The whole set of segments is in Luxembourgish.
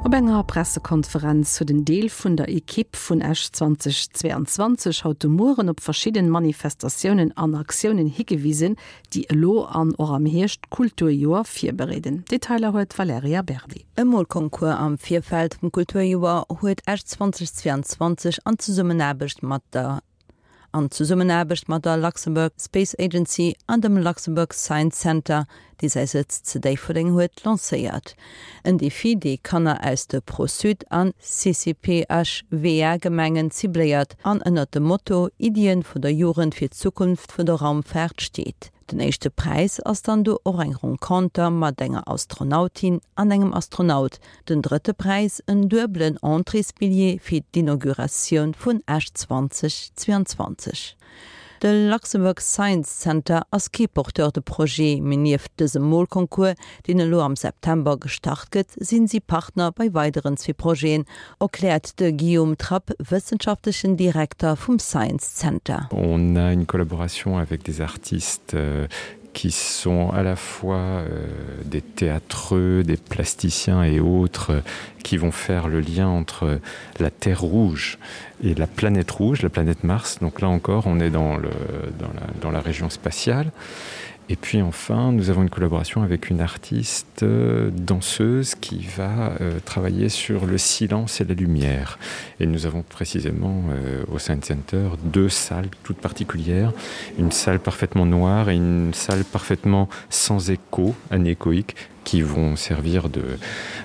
Op enger Pressekonferenz huet en Deel vun der Ekipp vun Esch 2022 haut de Mueren op verschidden Manifestatiounen an Aktiounen higewisen, déi elo an och am Hierscht d'Kulturjoer virbereeden. Detailer huet d'Valerija Berdi. E Molconcours am Virfeld vum Kulturjoer huet Esch 2022 an Zesummenaarbecht mat der An Zesummenaarbecht mat der Luxembourg Space Agency an dem Luxembourg Science Center, dee säi Sëtz zu Déifferdeng huet, lancéiert. En Defi, dee Kanner aus de Pro-Sud an CCPHWA-Gemengen cibléiert an ënnert dem Motto Iddien vun der Jugend fir d'Zukunft vun der Raumfaart steet. Den éischte Präis ass dann do och eng Renconter mat enger Astronautin an engem Astronaut, den drëtte Präis en duebelen Entréesbilljee fir d'Inauguratioun vun Esch 2022. De Luxembourg Science Center ass kee Porteur de projet, mee nieft dësem Molconcours, deen elo am September gestart gëtt, sinn si Partner bei weideren zwee Projeten, erkläert de Guillaume Trapp, wëssenschaftlechen Direkter vum Science Center. On a une collaboration avec des artistes qui sont à la fois des théâtreux, des plasticiens et autres qui vont faire le lien entre la terre rouge et la planète rouge, la planète Mars. Donc là encore, on est dans, le, dans, la, dans la région spatiale. Et puis enfin, nous avons une collaboration avec une artiste euh, danseuse qui va euh, travailler sur le silence et la lumière. Et nous avons précisément euh, au Science Center deux salles toutes particulières, une salle parfaitement noire et une salle parfaitement sans écho, anéchoïque, qui vont servir de,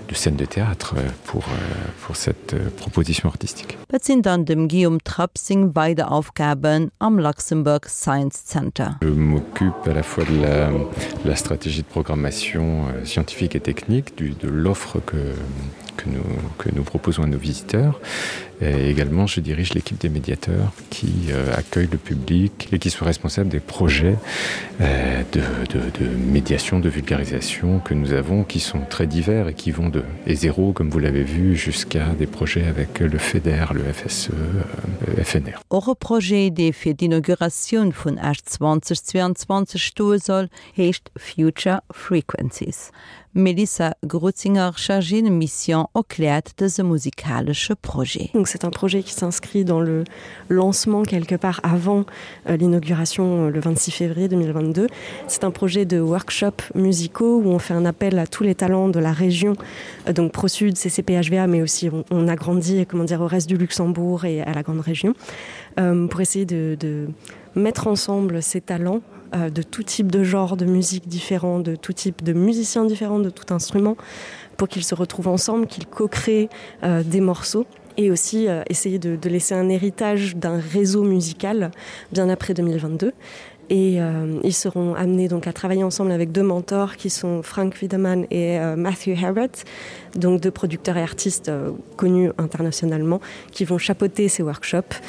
de scène de théâtre euh, pour, euh, pour cette euh, proposition artistique. Wat sinn dann dem Guillaume Trapp seng weider Aufgaben am Luxembourg Science Center? Je m'occupe à la fois de la, la stratégie de programmation scientifique et technique du, de l'offre que, que, nous, que nous proposons à nos visiteurs. Et également, je dirige l'équipe des médiateurs qui euh, accueille le public et qui sont responsables des projets euh, de, de, de médiation, de vulgarisation que nous avons, qui sont très divers et qui vont de et zéro, comme vous l'avez vu, jusqu'à des projets avec le FEDER, le FSE, euh, FNR. Och e Projet, dee fir d'Inauguratioun vun Esch 2022 stoe soll, heescht Future Frequencies. D'Melissa Grutzinger, Chargée de mission, erkläert dëse musikalesche Projet. Donc c'est un projet qui s'inscrit dans le lancement quelque part avant euh, l'inauguration euh, le 26 février 2022. C'est un projet de workshop musicaux où on fait un appel à tous les talents de la région euh, donc ProSud, CCPHVA, mais aussi on, on agrandit comment dire au reste du Luxembourg et à la grande région euh, pour essayer de, de mettre ensemble ces talents euh, de tout type de genre de musique différents, de tout type de musiciens différents, de tout instrument, pour qu'ils se retrouvent ensemble, qu'ils co-créent euh, des morceaux et aussi euh, essayer de, de laisser un héritage d'un réseau musical bien après 2022 et euh, ils seront amenés donc à travailler ensemble avec deux mentors qui sont Frank Wiedemann et euh, Matthew Herbert, donc deux producteurs et artistes euh, connus internationalement qui vont chapeauter ces workshops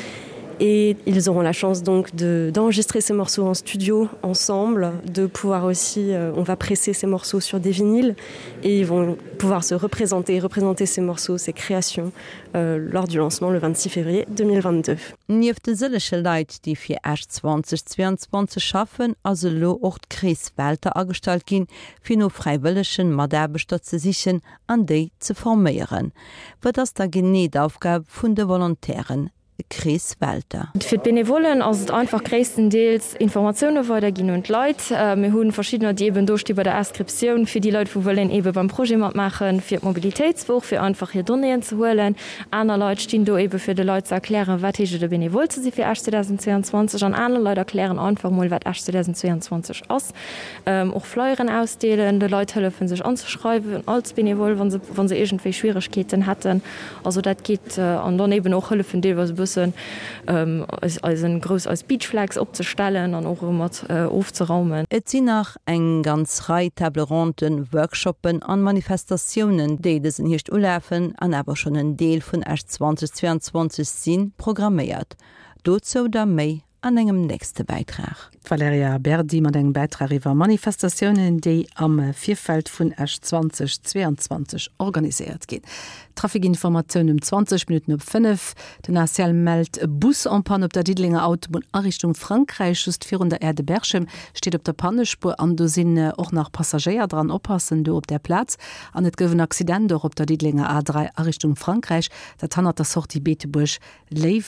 et ils auront la chance donc d'enregistrer de, ces morceaux en studio ensemble, de pouvoir aussi euh, on va presser ces morceaux sur des vinyles et ils vont pouvoir se représenter représenter ces morceaux, ces créations euh, lors du lancement le 26 février 2022. Nieft de sëllege Leit, déi fir Esch 2022 schaffen, ass elo och d'Chris Welter agestallt ginn, fir no fräiwëllegen Mataarbechter ze sichen an déi ze forméieren. Wat ass da genee d'Aufgab vun de Volontairen? Chris Welter. Fir d'Benevollen ass et einfach gréisstendeels Informatioune weiderginn un d'Leit. Mir hu verschiddener, déi eeben do sti bei der Inscriptioun fir déi Leit, wou wëllen eebe beim Projet matmaachen, fir d'Mobilitéitswoch, fir einfach hir Donnéeën ze huelen. Aner Leit stinn do eebe fir de Leit ze erklären, wat heescht et e Benevole ze si fir Esch 2022. An aner Leit erklären einfach mol, wat Esch 2022 ass. Och Flyeren ausdeelen, de Leit hëllefen sech anzeschreiwen als Benevole, wa se, wa se iergendwéi Schwieregkeeten hätten. Also dat geet. An dann eben och hëllefen deelweis e bëssen eis eisen grouss eis Beach Flags opzestellen an och erëm mat ofzeraumen. Et sinn nach eng ganz Rei Table Ronden, Workshoppen an Manifestatiounen, déi dësen Hierscht ulafen an awer schonn en Deel vun Esch 2022 sinn, programméiert. Dozou da méi. an engem nächste Bäitrag. D'Valerija Berdi mat engem Bäitrag iwwer Manifestatiounen, déi am Virfeld vun Esch 2022 organiséiert ginn. Trafikinformatioun um 20 Minutten op 5, Den ACL mellt e Bus en panne op der Diddelenger Autobunn a Richtung Frankräich, just virun der Aire de Berchem, steet op der Pannespuer an do sinn och nach Passagéier dran. Oppassen do op där Plaz. An et gouf en Accident och op der Diddelenger A3 a Richtung Frankräich, dat hannert der Sortie Beetebuerg-Léiwen.